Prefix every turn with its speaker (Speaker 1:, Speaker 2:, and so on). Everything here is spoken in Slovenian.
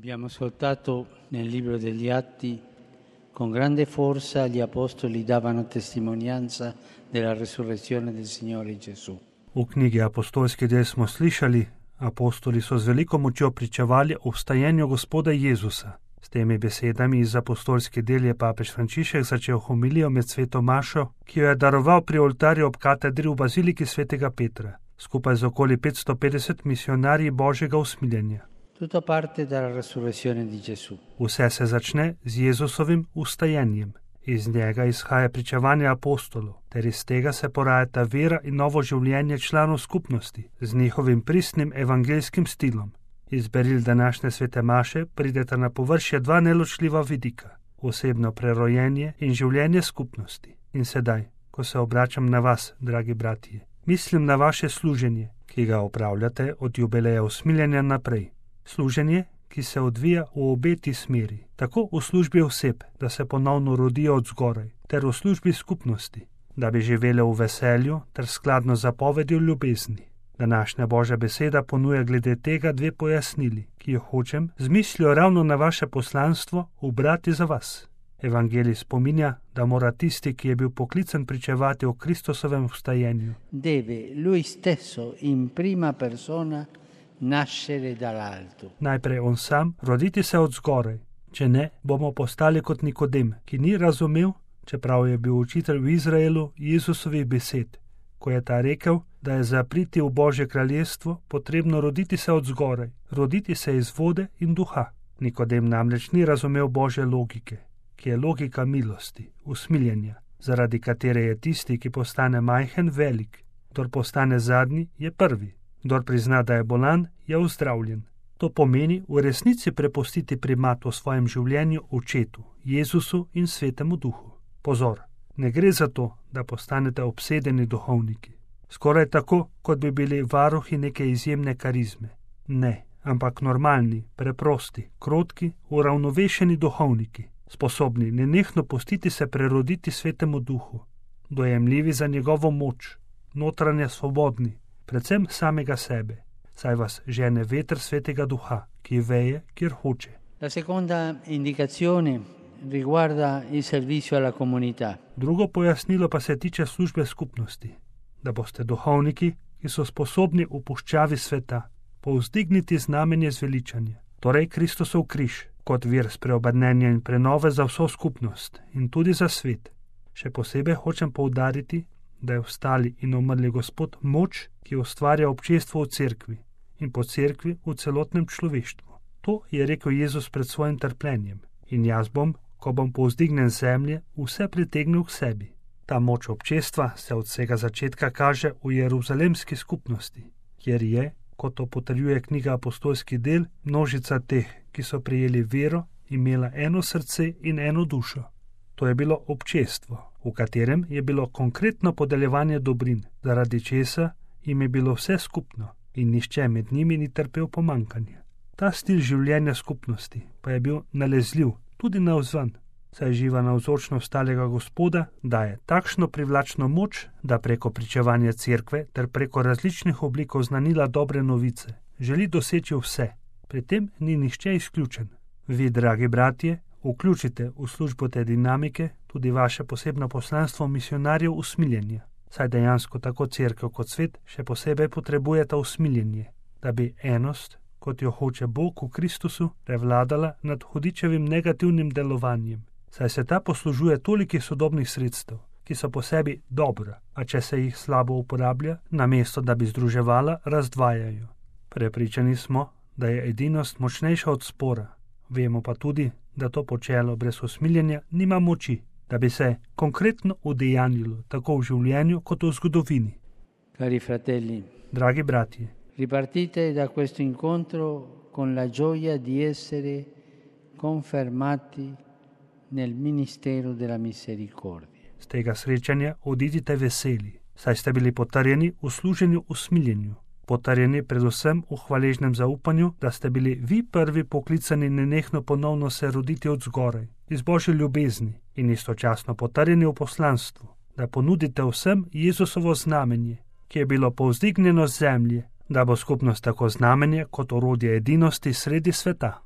Speaker 1: Abbiamo ascoltato nel libro degli Atti, con grande forza gli apostoli davano testimonianza della resurrezione del Signore Gesù.
Speaker 2: V knjigi Apostolski del smo slišali, apostoli so z veliko močjo pričevali o vstajenju Gospoda Jezusa. S temi besedami iz apostolske del je papež Frančišek začel homilijo med sveto mašo, ki jo je daroval pri oltarju ob katedri v baziliki svetega Petra, skupaj z okoli 550 misionarji Božjega usmiljenja.
Speaker 1: Tutto parte dalla resurrezione di Gesù.
Speaker 2: Vse se začne z Jezusovim vstajenjem. Iz njega izhaja pričevanje apostolov, ter iz tega se porajata vera in novo življenje članov skupnosti z njihovim pristnim evangeljskim stilom. Iz beril današnje svete maše prideta na površje dva neločljiva vidika, osebno prerojenje in življenje skupnosti. In sedaj, ko se obračam na vas, dragi bratje, mislim na vaše služenje, ki ga opravljate od jubileja usmiljenja naprej. Služenje, ki se odvija v obeti smeri, tako v službi oseb, da se ponovno rodijo od zgoraj, ter v službi skupnosti, da bi živele v veselju ter skladno zapovedjo ljubezni. Današnja Božja beseda ponuja glede tega dve pojasnili, ki jo hočem z mislijo ravno na vaše poslanstvo ubrati za vas. Evangelij spominja, da mora tisti, ki je bil poklican pričevati o Kristusovem vstajenju,
Speaker 1: Deve lui stesso in prima persona nascere dall'alto.
Speaker 2: Najprej on sam roditi se od zgoraj, če ne, bomo postali kot Nikodem, ki ni razumel, čeprav je bil učitelj v Izraelu, Jezusovih besed, ko je ta rekel, da je za priti v Božje kraljestvo potrebno roditi se od zgoraj, roditi se iz vode in duha. Nikodem namreč ni razumel Božje logike, ki je logika milosti, usmiljenja, zaradi katere je tisti, ki postane majhen, velik, kdor postane zadnji, je prvi. Kdor prizna, da je bolan, je ozdravljen. To pomeni v resnici prepustiti primat v svojem življenju Očetu, Jezusu in Svetemu Duhu. Pozor, ne gre za to, da postanete obsedeni duhovniki. Skoraj tako, kot bi bili varuhi neke izjemne karizme. Ne, ampak normalni, preprosti, krotki, uravnovešeni duhovniki, sposobni nenehno pustiti se preroditi Svetemu Duhu, dojemljivi za njegovo moč, notranje svobodni, predvsem samega sebe, saj vas žene veter Svetega Duha, ki veje, kjer hoče.
Speaker 1: La seconda indicazione riguarda il servizio alla comunità.
Speaker 2: Drugo pojasnilo pa se tiče službe skupnosti, da boste duhovniki, ki so sposobni v puščavi sveta povzdigniti znamenje zveličanja, torej Kristusov križ, kot vir spreobrnenja in prenove za vso skupnost in tudi za svet. Še posebej hočem poudariti, da je vstali in umrli Gospod moč, ki ustvarja občestvo v cerkvi in po cerkvi v celotnem človeštvu. To je rekel Jezus pred svojim trpljenjem. In jaz bom, ko bom povzdignen z zemlje, vse pritegnil k sebi. Ta moč občestva se od vsega začetka kaže v jeruzalemski skupnosti, kjer je, kot to potrjuje knjiga Apostolski del, množica teh, ki so prijeli vero, imela eno srce in eno dušo. To je bilo občestvo, v katerem je bilo konkretno podeljevanje dobrin, zaradi česa jim je bilo vse skupno in nihče med njimi ni trpel pomanjkanja. Ta stil življenja skupnosti pa je bil nalezljiv tudi navzven, saj živa navzočnost stalega Gospoda daje takšno privlačno moč, da preko pričevanja cerkve ter preko različnih oblik oznanila dobre novice želi doseči vse. Pri tem ni nihče izključen. Vi, dragi bratje, vključite v službo te dinamike tudi vaše posebno poslanstvo misionarjev usmiljenja, saj dejansko tako cerkev kot svet še posebej potrebujeta usmiljenje, da bi enost, kot jo hoče Bog v Kristusu, prevladala nad hudičevim negativnim delovanjem, saj se ta poslužuje tolikih sodobnih sredstev, ki so po sebi dobra, a če se jih slabo uporablja, namesto da bi združevala, razdvajajo. Prepričani smo, da je edinost močnejša od spora, vemo pa tudi, da to počelo brez usmiljenja nima moči, da bi se konkretno udejanjilo tako v življenju kot v zgodovini.
Speaker 1: Cari fratelli,
Speaker 2: dragi bratje,
Speaker 1: ripartite da questo incontro con la gioia di essere confermati nel ministero della misericordia.
Speaker 2: Z tega srečanja odidite veseli, saj ste bili potrjeni v služenju usmiljenju, potrjeni predvsem v hvaležnem zaupanju, da ste bili vi prvi poklicani nenehno ponovno se roditi od zgoraj, iz Božje ljubezni in istočasno potrjeni v poslanstvu, da ponudite vsem Jezusovo znamenje, ki je bilo povzdignjeno z zemlje, da bo skupnost tako znamenje kot orodje edinosti sredi sveta.